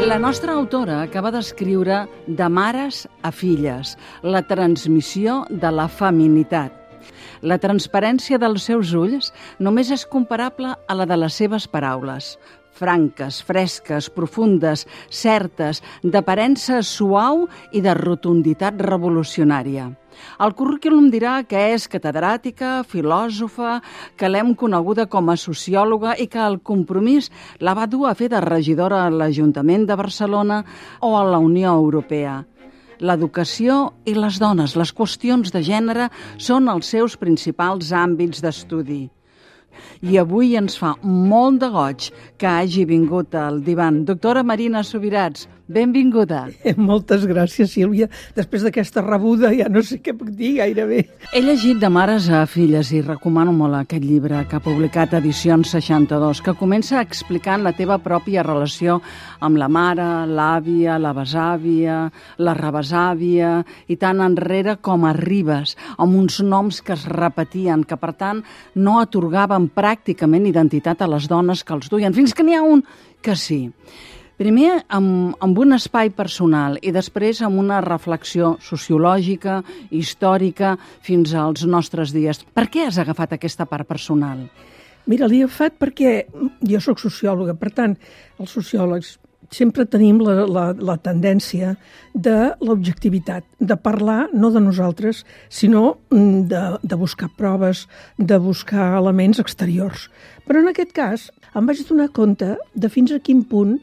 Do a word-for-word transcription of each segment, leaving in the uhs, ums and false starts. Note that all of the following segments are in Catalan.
La nostra autora acaba d'escriure De mares a filles, la transmissió de la feminitat. La transparència dels seus ulls només és comparable a la de les seves paraules. Franques, fresques, profundes, certes, d'aparença suau i de rotunditat revolucionària. El currículum dirà que és catedràtica, filòsofa, que l'hem coneguda com a sociòloga i que el compromís la va dur a fer de regidora a l'Ajuntament de Barcelona o a la Unió Europea. L'educació i les dones, les qüestions de gènere, són els seus principals àmbits d'estudi. I avui ens fa molt de goig que hagi vingut al divan. Doctora Marina Subirats, benvinguda. Moltes gràcies, Sílvia. Després d'aquesta rebuda ja no sé què puc dir gairebé. He llegit De mares a filles i recomano molt aquest llibre que ha publicat Edicions seixanta-dos, que comença explicant la teva pròpia relació amb la mare, l'àvia, la besàvia, la rebesàvia i tan enrere com arribes, amb uns noms que es repetien, que per tant no atorgaven pràcticament identitat a les dones que els duien, fins que n'hi ha un que sí. Primer amb, amb un espai personal i després amb una reflexió sociològica, històrica, fins als nostres dies. Per què has agafat aquesta part personal? Mira, l'he agafat perquè jo sóc sociòloga, per tant, els sociòlegs sempre tenim la, la, la tendència de l'objectivitat, de parlar no de nosaltres, sinó de, de buscar proves, de buscar elements exteriors. Però en aquest cas em vaig donar compte de fins a quin punt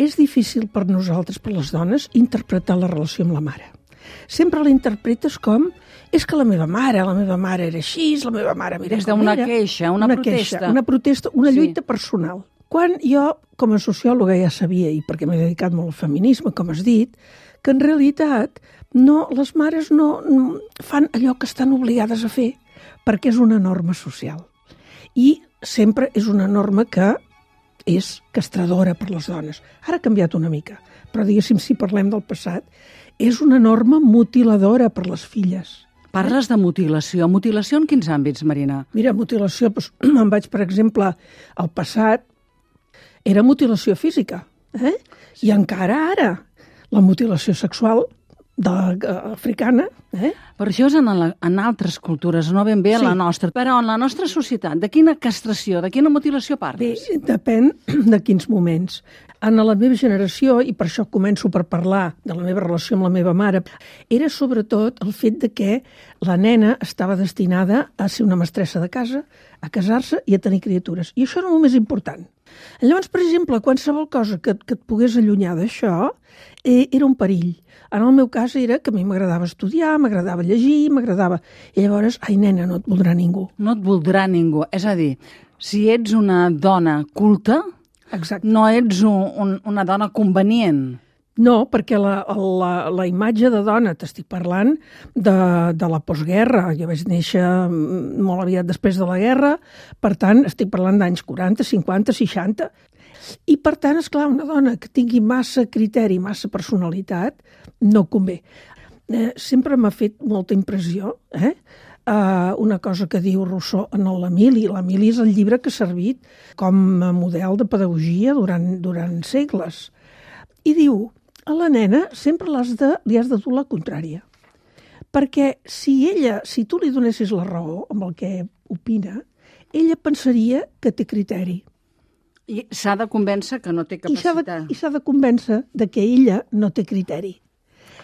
és difícil per nosaltres, per les dones, interpretar la relació amb la mare. Sempre la interpretes com és que la meva mare, la meva mare era així, la meva mare mira Des com d'una era. queixa, una, una protesta. Queixa, una protesta, una Sí. lluita personal. Quan jo, com a sociòloga, ja sabia, i perquè m'he dedicat molt al feminisme, com has dit, que en realitat no, les mares no, no fan allò que estan obligades a fer, perquè és una norma social. I sempre és una norma que és castradora per les dones. Ara ha canviat una mica, però diguéssim, si parlem del passat, és una norma mutiladora per les filles. Parles de mutilació. Mutilació en quins àmbits, Marina? Mira, mutilació, doncs, me'n vaig, per exemple, al passat, era mutilació física, eh? I encara ara, la mutilació sexual de, uh, africana, eh? Per això és en, la, en altres cultures, no ben bé a Sí. la nostra. Però en la nostra societat, de quina castració, de quina mutilació Bé, parles? depèn de quins moments. En la meva generació, i per això començo per parlar de la meva relació amb la meva mare, era sobretot el fet de que la nena estava destinada a ser una mestressa de casa, a casar-se i a tenir criatures. I això era el més important. Llavors, per exemple, qualsevol cosa que, que et pogués allunyar d'això eh, era un perill. En el meu cas era que a mi m'agradava estudiar, m'agradava llegir, m'agradava... I llavors, ai, nena, no et voldrà ningú. No et voldrà ningú. És a dir, si ets una dona culta, Exacte. no ets un, un, una dona convenient. No, perquè la, la, la imatge de dona, t'estic parlant de, de la postguerra, jo vaig néixer molt aviat després de la guerra, per tant, estic parlant d'anys quaranta, cinquanta, seixanta, i per tant, esclar, una dona que tingui massa criteri, massa personalitat, no convé. Eh, sempre m'ha fet molta impressió, eh? Uh, una cosa que diu Rousseau en l'Emili. L'Emili és el llibre que ha servit com a model de pedagogia durant, durant segles. I diu, a la nena sempre l'has de, li has de dur la contrària. Perquè si ella, si tu li donessis la raó amb el que opina, ella pensaria que té criteri. I s'ha de convèncer que no té I s'ha de, capacitat. i s'ha de convèncer de que ella no té criteri.